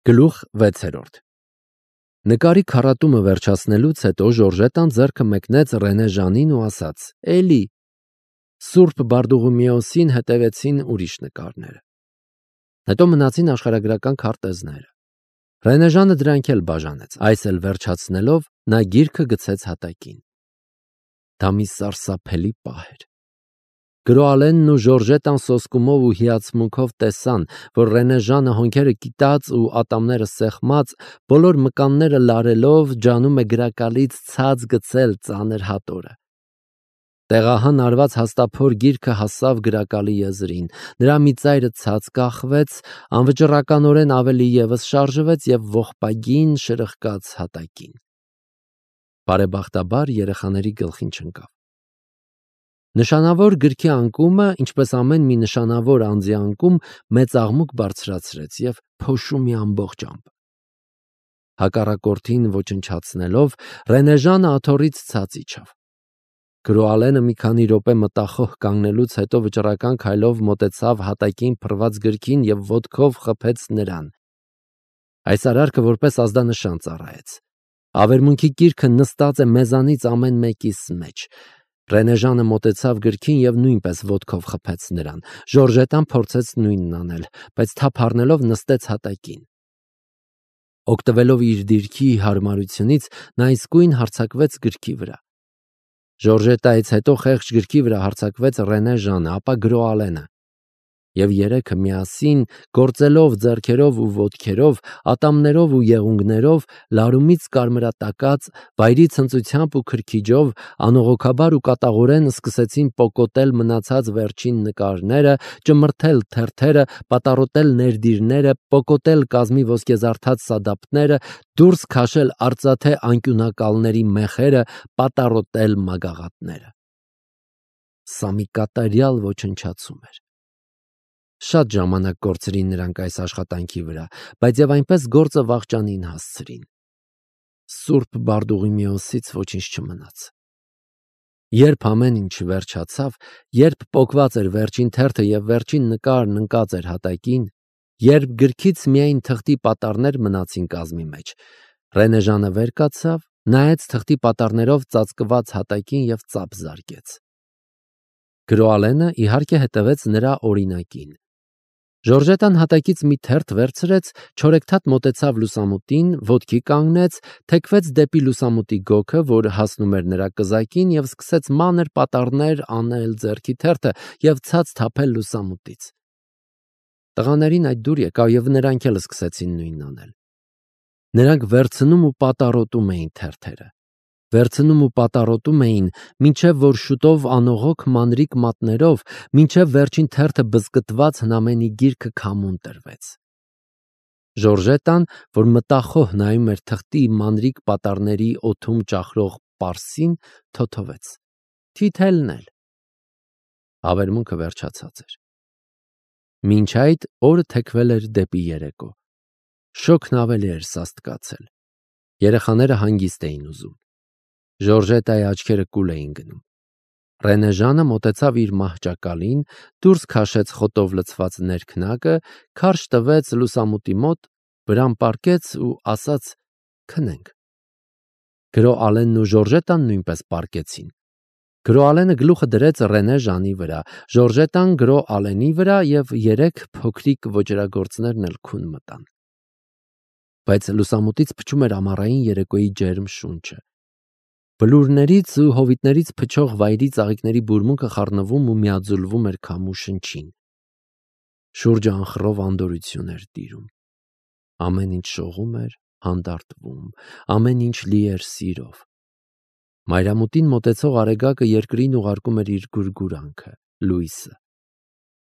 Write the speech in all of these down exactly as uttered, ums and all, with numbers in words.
Գլուխ վեցերորդ Նկարի քառատումը վերջացնելուց հետո Ժորժետան ձեռքը մեկնեց Ռենե Ժանին ու ասաց. «Էլի»։ Սուրբ Բարդուղիմեոսին հետևեցին ուրիշ նկարները։ Հետո մնացին աշխարհագրական քարտեզները։ Ռենե Ժանը դրանք էլ բաժանեց, այս էլ վերջացնելով նա գիրքը գցեց հատակին։ Դա մի սարսափելի պահ էր։ Գրոալենն ու Ժորժետան սոսկումով ու հիացմունքով տեսան, որ Ռենե Ժանը հոնքերը կիտած ու ատամները սեղմած, բոլոր մկանները լարելով ջանում է գրակալից ցած գցել ծանր հատորը։ Տեղահան արված հաստափոր գիրքը հասավ գրակալի եզրին, նրա մի ծայրը ցած կախվեց, անվճռականորեն ավելի ևս շարժվեց և ողբագին շրխկաց հատակին։ Բարեբախտաբար երեխաների գլխին չընկավ։ Նշանավոր գրքի անկումը, ինչպես ամեն մի նշանավոր անձի անկում, մեծ աղմուկ բարձրացրեց և փոշու մի ամբողջ ամպ։ Հակառակորդին ոչնչացնելով, Ռենե Ժանը աթոռից ցած իջավ։ Գրոալենը մի քանի րոպե մտախոհ կանգնելուց հետո վճռական քայլով մոտեցավ հատակին փռված գրքին և ոտքով խփեց նրան։ Այս արարքը որպես ազդանշան ծառայեց։ Ավերմունքի գիրքը նստած է մեզանից ամեն մեկիս մեջ։ Ռենե Ժանը մոտեցավ գրքին և նույնպես ոտքով խփեց նրան։ Ժորժետան փորձեց նույնն անել, բայց թափ առնելով նստեց հատակին։ Օգտվելով իր դիրքի հարմարությունից, նա իսկույն հարձակվեց գրքի վրա։ Ժորժետայից հետո խեղճ գրքի վրա հարձակվեց Ռենե Ժանը, ապա Գրոալենը։ Եվ երեքը միասին, գործելով ձեռքերով ու ոտքերով, ատամներով ու եղունգներով, լարումից կարմրատակած, վայրի ցնծությամբ ու քրքիջով, անողոքաբար ու կատաղորեն սկսեցին պոկոտել մնացած վերջին նկարները, ճմրթել թերթերը, պատառոտել ներդիրները, պոկոտել կազմի ոսկեզարդած սադափները, դուրս քաշել արծաթե անկյունակալների մեխերը, պատառոտել մագաղատները։ Սա մի կատարյալ ոչնչացում էր։ Շատ ժամանակ կորցրին նրանք այս աշխատանքի վրա, բայց և այնպես գործը վախճանին հասցրին։ Սուրբ Բարդուղիմեոսից ոչինչ չմնաց։ Երբ ամեն ինչ վերջացավ, երբ պոկված էր վերջին թերթը և վերջին նկարն ընկած էր հատակին, երբ գրքից միայն թղթի պատառներ մնացին կազմի մեջ, Ռենե Ժանը վեր կացավ, նայեց թղթի պատառներով ծածկված հատակին և ծափ զարկեց։ Գրոալենը իհարկե հետևեց նրա օրինակին։ Ժորժետան հատակից մի թերթ վերցրեց, չորեքթաթ մոտեցավ լուսամուտին, ոտքի կանգնեց, թեքվեց դեպի լուսամուտի գոգը, որ հասնում էր նրա կզակին, և սկսեց մանր պատառներ անել ձեռքի թերթը և ցած թափել լուսամուտից։ Տղաներին այդ դուր եկավ, և նրանք էլ սկսեցին նույնն անել։ Նրանք վերցնում ու պատառոտում էին թերթերը։ Վերցնում ու պատառոտում էին, մինչև որ շուտով անողոք մանրիկ մատներով, մինչև վերջին թերթը բզկտված հնամենի գիրքը քամուն տրվեց։ Ժորժետան, որ մտախոհ նայում էր թղթի մանրիկ պատառների օդում ճախրող պարսին, թոթվեց. Թիթելն էլ։ Ավերմունքը վերջացած էր։ Մինչ այդ օրը թեքվել էր դեպի երեկո։ Շոգն ավելի էր սաստկացել։ Երեխաները հանգիստ էին ուզում։ Ժորժետայի աչքերը կուլ էին գնում։ Ռենե Ժանը մոտեցավ իր մահճակալին, դուրս քաշեց խոտով լցված ներքնակը, քարշ տվեց լուսամուտի մոտ, վրան պառկեց ու ասաց. «Քնենք»։ Գրոալենն ու Ժորժետան նույնպես պառկեցին։ Գրոալենը գլուխը դրեց Ռենե Ժանի վրա, Ժորժետան Գրոալենի վրա և երեք փոքրիկ ոճրագործներն էլ քուն մտան։ Բայց լուսամուտից փչում էր ամառային երեկոյի ջերմ շունչը։ Բլուրներից ու հովիտներից փչող վայրի ծաղիկների բուրմունքը խառնվում ու միաձուլվում էր քամու շնչին։ Շուրջը անխռով անդորրություն էր տիրում։ Ամեն ինչ շողում էր, հանդարտվում, ամեն ինչ լի էր սիրով։ Մայրամուտին մոտեցող արեգակը երկրին ուղարկում էր իր գուրգուրանքը, լույսը։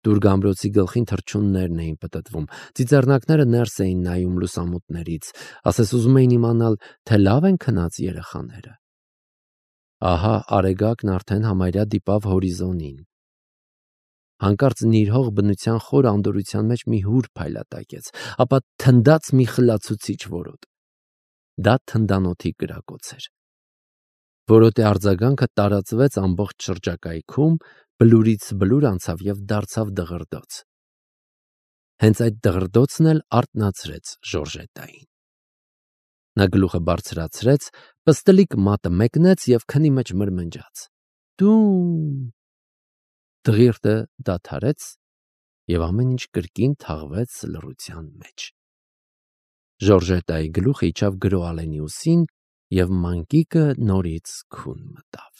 Դուրգամբրոցի գլխին թռչուններն էին պտտվում, ծիծեռնակները ներս էին նայում լուսամուտներից, ասես ուզում էին իմանալ, թե լավ են քնած երեխաները։ Ահա արեգակն արդեն համարյա դիպավ հորիզոնին։ Հանկարծ նիրհող բնության խոր անդորրության մեջ մի հուր փայլատակեց, ապա թնդաց մի խլացուցիչ որոտ։ Դա թնդանոթի կրակոց էր։ Որոտի արձագանքը տարածվեց ամբողջ շրջակայքում, բլուրից բլուր անցավ և դարձավ դղրդոց։ Հենց այդ դղրդոցն էլ արթնացրեց Ժորժետային։ Նա գլուխը բարձրացրեց, պստլիկ մատը մեկնեց և քնի մեջ մրմնջաց. «Տուն»։ Դղիրդը դադարեց, և ամեն ինչ կրկին թաղվեց լռության մեջ։ Ժորժետայի գլուխը իջավ Գրոալենի ուսին, և մանկիկը նորից քուն մտավ։